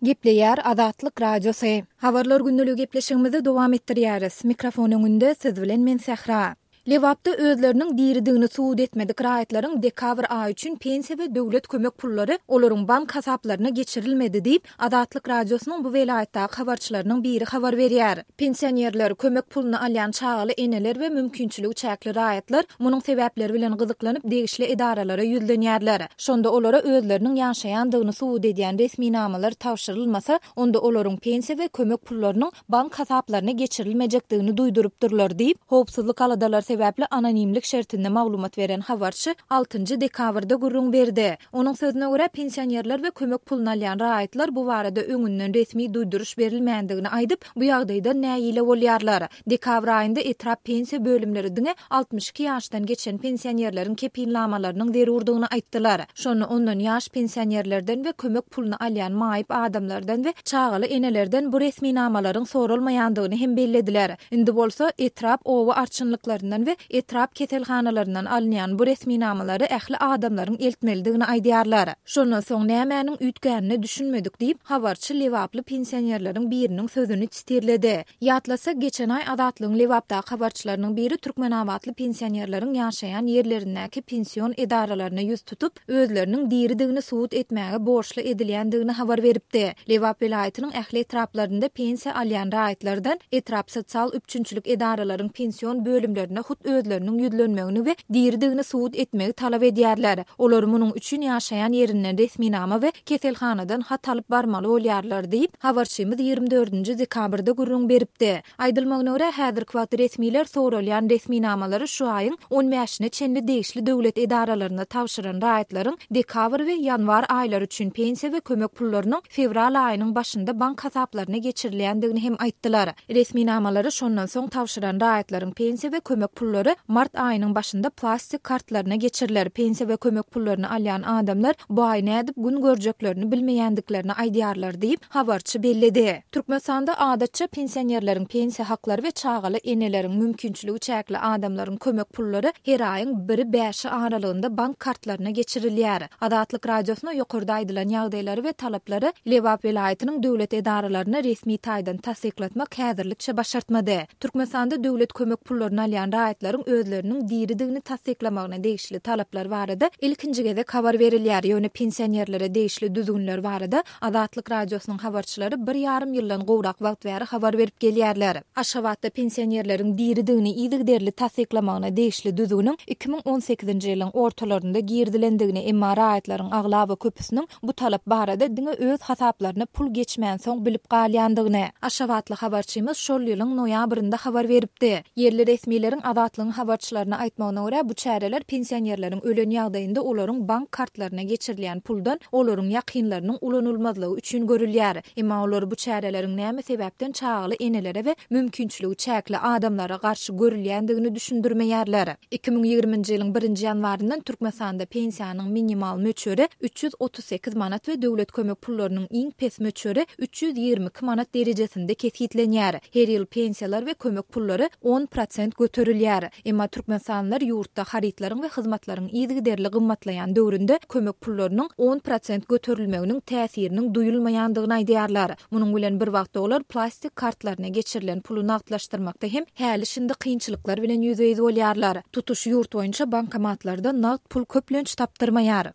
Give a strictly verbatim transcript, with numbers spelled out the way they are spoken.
Gepleýär Azatlyk Radiosy. Habarlar gündeligi gepleşigimizi dowam etdirýäris. Mikrofon öňünde siz bilen men Sähra. Lebapda özleriniň diridigini subut etmedik raýatlaryň dekabr aýy üçin pensiýa we döwlet kömek pullary olaryň bank hasaplaryna geçirilmedi diýip, Azatlyk Radiosynyň bu welaýatdaky habarçylarynyň biri habar berýär. Pensionerler, kömek puluny alýan çagaly eneler we mümkinçiligi çäkli raýatlar munuň sebäpleri bilen gyzyklanyp degişli edaralara ýüzlenýärler. Şonda olara özleriniň ýaşaýandygyny subut edýän resminamalar tabşyrylmasa, onda olaryň pensiýa we kömek pullarynyň bank hasaplaryna geçirilmejekdigini duýdurypdyrlar diýip, howpsuzlyk aladalary sebäpli anonimlik şertinde maglumat beren habarçy altynjy dekabrda gürrüň berdi. Onuň sözüne görä, pensionerler we kömek puluny alýan raýatlar bu barada öňünden resmi duýduryş berilmändigini aýdyp, bu ýagdaýdan nägile bolýarlar. Dekabr aýynda etrap pensiýa bölümleri diňe altmyş iki ýaşdan geçen pensionerleriň kepilnamalarynyň zerurdygyny aýtdylar. Şonda ondan ýaş pensionerlerden we kömek puluny alýan maýyp adamlardan we çagaly enelerden bu resminamalaryň soralmaýandygyny hem bellediler. Indi bolsa etrap oba arçynlyklaryndan we etrap keselhanalaryndan alynýan bu resminamalary ähli adamlaryň eltmelidigini aýdýarlar. Şondan soň nämäniň üýtgänine düşünmedik diýip, habarçy lebaply pensionerleriň biriniň sözüni titirledi. Ýatlasak, geçen aý Azatlygyň Lebapdaky habarçylarynyň biri türkmenabatly pensionerleriň ýaşaýan ýerlerindäki pension edaralaryna ýüz tutup, özleriniň diridigini subut etmäge borçly edilýändigini habar beripdi. Lebap welaýatynyň ähli etraplarynda pensiýa alýan raýatlardan etrap sosial üpjünçilik edaralaryň pension bölümlerine hut özleriniň ýüzlenmegini we diridigini subut etmegi talap edýärler. Olar munuň üçin ýaşaýan ýerinden resminama we keselhanadan hat alyp barmaly bolýarlar diýip, habarçymyz ýigrimi dördünji dekabrda gürrüň beripdi. Aýdylmagyna görä, häzirki wagt resmiler soralýan resminamalary şu aýyň on bäşine çenli degişli döwlet edaralaryna tabşyran raýatlaryň dekabr we ýanwar aýlary üçin pensiýa we kömek pullarynyň fewral aýynyň başynda bank hasaplaryna geçirilýändigini hem aýtdylar. Resminamalary şondan soň tabşyran raýatlaryň pensiýa we kömek pullary mart aýynyň başynda plastik kartlaryna geçiriler. Pensiýa we kömek pullaryny alýan adamlar bu aý nädip gün görjeklerini bilmeýändiklerini aýdýarlar diýip, habarçy belledi. Türkmenistanda adatça pensionerleriň pensiýa haklary we çagaly eneleriň mümkinçiligi çäkli adamlaryň kömek pullary her aýyň biri bäşi aralygynda bank kartlaryna geçirilýär. Azatlyk Radiosyna ýokarda aýdylan ýagdaýlary we talaplary Lebap welaýatynyň döwlet edaralaryna resmi taýdan tassyklatmak häzirlikçe başartmady. Türkmenistanda döwlet kömek pullaryny alýan raýatlaryň özleriniň diridigini tassyklamagyna degişli talaplar barada ilkinji gezek habar berilýär. Ýöne pensionerlere degişli düzgünler barada Azatlyk Radiosynyň habarçylary bir ýarym ýyldan gowrak wagt bäri habar berip gelýärler. Aşgabatda pensionerleriň diridigini yzygiderli tassyklamagyna degişli düzgüniň iki müň on sekizinji ýylyň ortalarynda girizilendigini, emma raýatlaryň aglaba köpüsiniň bu talap barada diňe öz hasaplaryna pul geçmänsoň bilip galýandygyny Aşgabatly habarçymyz şol ýylyň noýabrynda habar beripdi. Ýerli resmileriň Azatlygyň habarçylaryna aýtmagyna görä, bu çäreler pensionerleriň ölen ýagdaýynda olaryň bank kartlaryna geçirilýän puldan olaryň ýakynlarynyň ulanylmazlygy üçin görülýär. Emma olar bu çäreleriň näme sebäpden çagaly enelere we mümkinçiligi çäkli adamlara garşy görülýändigini düşündirmeýärler. Iki müň ýigriminji ýylyň birinji ýanwaryndan Türkmenistanda pensiýanyň minimal möçberi üç ýüz otuz sekiz manat we döwlet kömek pullarynyň iň pes möçberi üç ýüz ýigrimi iki manat derejesinde kesgitlenýär. Her ýyl pensiýalar we kömek pullary on prosent göterilýär. Emma türkmenistanlylar ýurtda harytlaryň we hyzmatlaryň yzygiderli gymmatlaýan döwründe kömek pullarynyň on prosent göterilmeginiň täsiriniň duýulmaýandygyny aýdýarlar. Munuň bilen bir wagtda olar plastik kartlaryna geçirilen puly nagtlaşdyrmakda hem häli-şindi kynçylyklar bilen ýüzbe-ýüz bolýarlar. Tutuş ýurt boýunça bankomatlarda nagt pul köplenç tapdyrmaýar.